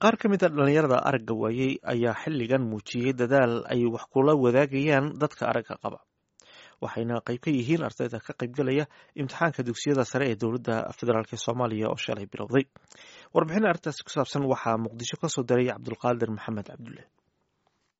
Qaar ka mid a dhalinyarada aragga waayey ayaa xilligan muujiyey dadaal ay wax kula wadaagayaan dadka aragga qaba, waxayna qayb ka yihiin ardayda ka qaybgalaya imtixaanka dugsiyada sare ee dowladda federaalk Soomaaliya oo shalay bilowday. Warbixin arrintaasi ku saabsan waxaa Muqdisho kasoo diray Cabdulqaadir Maxamed Cabdulle.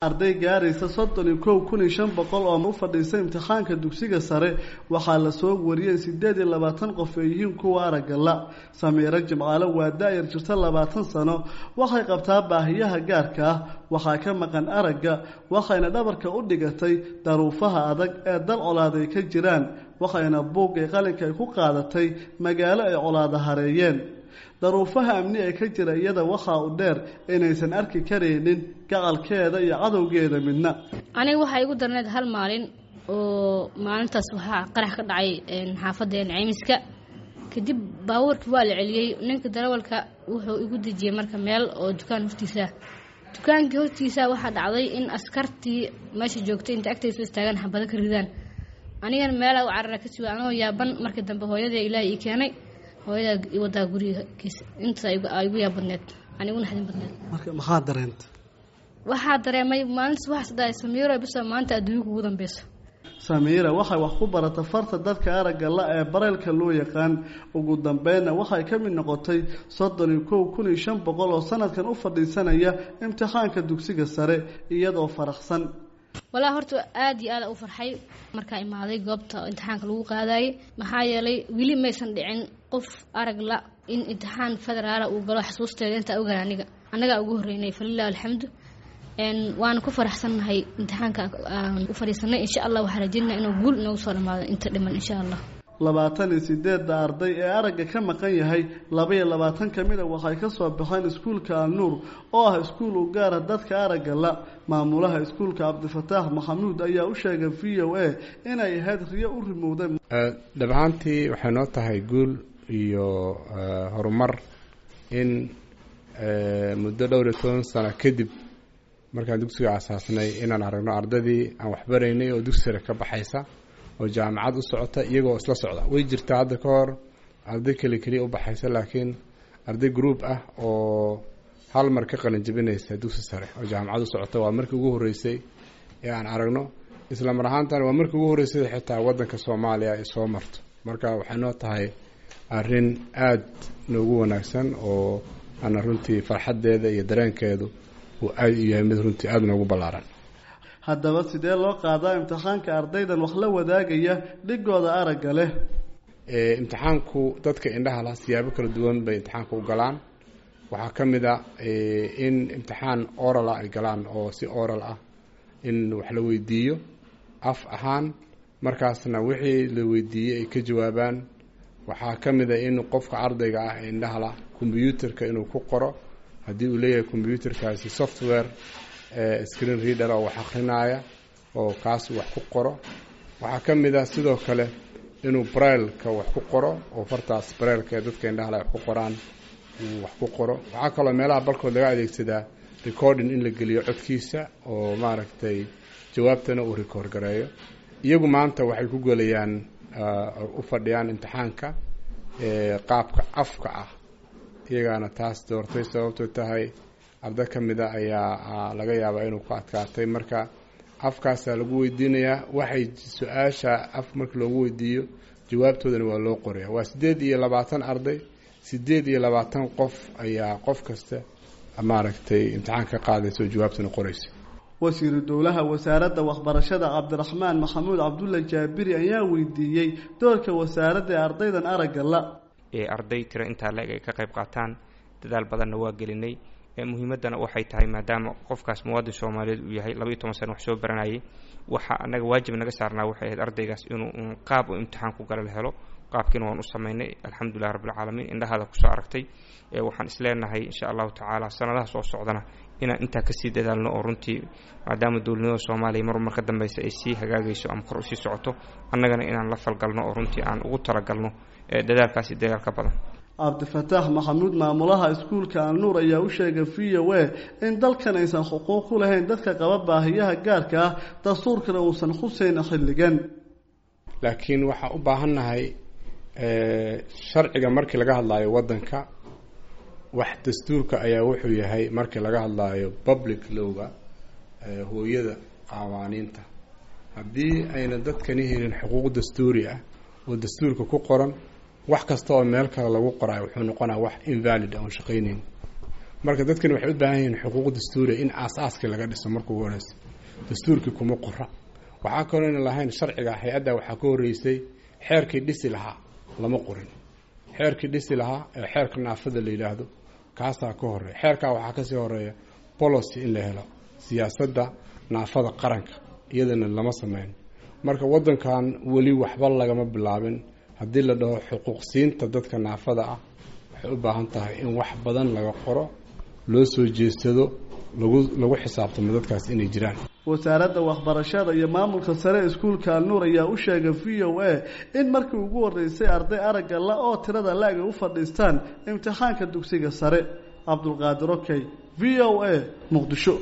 Arday gaaraysa 31,500 oo u fadhiisa imtixaanka dugsiga sare waxaa lasoo wariyey 28 qof ay yihiin kuwa aragga la. Samiiro Jimcaale waa da-yar jirta 20 sano. Waxay qabtaa baahiyaha gaarka ah, waxaa ka maqan aragga, waxayna dhabarka u dhigatay daruufaha adag ee dal colaad ay ka jiraan, waxayna buuggay qalinka ay ku qaadatay magaalo ay colaada hareeyeen. Daruufaha amni ee ka jira iyada waxaa u dheer inaysan arki karaynin gacalkeeda iyo cadowgeeda midna. Aniga waxaa igu darneyd hal maalin oo maalintaas waxaa qarax ka dhacay xaafadeen Ceymiska. Kadib baabuurkii waa la celiyey. Ninka darawalka wuxuu igu dejiyey marka meel oo dukaan hortiisa. Dukaankii hortiisa waxaa dhacday in askartii meesha joogtay inta agtaysa istaagaan xabado ka ridaan. Anigana meelaa u carara ka suga anoo yaaban. Markii dambe hooyadee Ilaahay ii keenay, hooyadaa i wadaa gurigiisa. Intaas igu yaab badneed, aniguna xadin badneed. Marka maxaa dareentay? Waxaa dareemay maalintaas waxaas dhahay: "Samiiro, bisa maanta adduunka ugu dambeyso." Samiira waxay wax ku barata farta dadka aragga la ee bareylka loo yaqaan. Ugu dambeynna waxay ka mid noqotay 31,500 oo sanadkan u fadhiisanaya imtixaanka dugsiga sare, iyadoo faraxsan. Walaa, horta aada iyo aada u farxay markaa imaaday goobta imtixaanka lagu qaadayay, maxaa yeelay weli maysan dhicin qof arag la in imtixaan federaala uu galo. Xasuusteeda intaa ogaan aniga annagaa ugu horreynay, falilah alxamdu. Waana ku faraxsannahay imtixaanka aan u fadhiisanay. Insha Allah waxaa rajeynaa inuu guul inoogu soo dhamaado inta dhiman, insha Allah. 28-da arday ee aragga ka maqan yahay, 22 ka mida waxay ka soo baxeen iskuulka Alnuur oo ah iskuul u gaara dadka aragga la. Maamulaha iskuulka, Cabdifataax Maxamuud, ayaa u sheegay VOA inay ahayd riyo u rimowday. Dhab ahaantii waxay noo tahay guul iyo horumar in muddo dhowr iyo toban sano kadib markaan dugsiga asaasnay inaan aragno ardadii aan waxbaraynay oo dugsi sare ka baxaysa oo jaamacad u socota iyagoo isla socda. Way jirtaa hadda ka hor arday keli keliya u baxaysa, laakiin arday group ah oo hal mar ka qalin jabinaysa dugsi sare oo jaamacad u socota waa markii ugu horreysay ee aan aragno. Isla mar ahaantana waa markii ugu horreysay xitaa waddanka Soomaaliya ay soo marto. Marka waxay noo tahay arrin aada noogu wanaagsan oo ana runtii farxaddeeda iyo dareenkeedu uu aada u yahay mid runtii aada noogu ballaaran. Haddaba sidee loo qaadaa imtixaanka ardaydan wax la wadaagaya dhigooda aragga leh? Imtixaanku dadka indhaha laha siyaabo kala duwan bay imtixaanka u galaan. Waxaa ka mid a in imtixaan oral ah ay galaan, oo si oral ah in wax la weydiiyo af ahaan, markaasna wixii la weydiiyey ay ka jawaabaan. Waxaa ka mid a in qofka ardayga ah ee indhaha lah combyuterka inuu ku qoro, haddii uu leeyahay combyuterkaasi software screen reader oo wax akrinaya oo kaas wax ku qoro. Waxaa ka mid ah sidoo kale inuu brailka wax ku qoro, oo fartaas brailka ee dadka indhaha leh wax ku qoraan uu wax ku qoro. Waxaa kaloo meelaha barkood laga adeegsadaa recording in la geliyo codkiisa oo maaragtay jawaabtana uu record gareeyo. Iyagu maanta waxay ku gelayaan, u fadhiyaan imtixaanka qaabka afka ah, iyagaana taas doortay, sababto tahay arda ka mida ayaa laga yaabaa inuu ku adkaatay. Marka afkaasaa lagu weydiinayaa, waxay su-aasha af marka loogu weydiiyo jawaabtoodana waa loo qoraya. Waa 28 arday, 28 qof ayaa qof kasta maaragtay imtixaan ka qaadaysa oo jawaabtana qoraysa. Wasiiru dowlaha wasaaradda waxbarashada, Cabdiraxmaan Maxamuud Cabdulla Jaabiri, ayaa weydiiyey doorka wasaaradda ee ardaydan aragga la. Ee arday tiro intaa la-eg ay ka qayb qaataan, dadaal badanna waa gelinay. Muhiimaddana waxay tahay, maadaama qofkaas muwaadin Soomaaliyeed uu yahay, 12 sano wax soo baranayay, waxa annaga waajib naga saarnaa waxay ahayd ardaygaas inuu un qaab u imtixaan ku gala la helo. Qaabkiina waan u samaynay, alxamdulilah rabbilcaalamiin. Indhahaada kusoo aragtay. Waxaan isleenahay, insha Allahu tacaala, sanadaha soo socdana inaan intaa kasii dadaalno, oo runtii maadaama dowladnimada Soomaaliya mar mar ka dambeysa ay sii hagaagayso ama kor usii socoto, annagana inaan la falgalno oo runtii aan ugu talagalno dadaalkaasi dadaal ka badan. Cabdifataax Maxamuud, maamulaha iskuulka Alnuur, ayaa u sheegay VOA in dalkan aysan xuquuq ku lahayn dadka qaba baahiyaha gaarka ah, dastuurkana uusan xuseyn xilligan. Laakiin waxaa u baahannahay sharciga markii laga hadlayo waddanka. Wax dastuurka ayaa wuxuu yahay markii laga hadlaayo public lowga, hooyada qawaaniinta, haddii ayna dadkani helin xuquuq dastuuri ah oo dastuurka ku qoran, wax kasta oo meel kale lagu qoraayo wuxuu noqonaa wax invalid ah oon shaqaynayn. Marka dadkani waxay u baahan yihiin xuquuq dastuuriya in aas-aaskii laga dhiso marka ugu horeysa. Dastuurkii kuma qora. Waxaa kaloo ayna lahayn sharciga hay-adda. Waxaa ka horreysay xeerkii dhisi lahaa, lama qorin xeerkii dhisi lahaa ee xeerka naafada la yidhaahdo, kaasaa ka horeeya. Xeerkaa waxaa kasii horeeya policy in la helo, siyaasadda naafada qaranka, iyadana lama sameyn. Marka waddankan weli waxba lagama bilaabin. Haddii la dhaho xuquuqsiinta dadka naafada ah, waxay u baahan tahay in wax badan laga qoro, loo soo jeedsado, lagu xisaabtamo dadkaas inay jiraan. Wasaaradda waxbarashada iyo maamulka sare iskuulka Alnuur ayaa u sheegay VOA in markii ugu horreysay arday aragga la oo tirada la-eg ay u fadhiistaan imtixaanka dugsiga sare. Cabdulqaadir Okey, VOA, Muqdisho.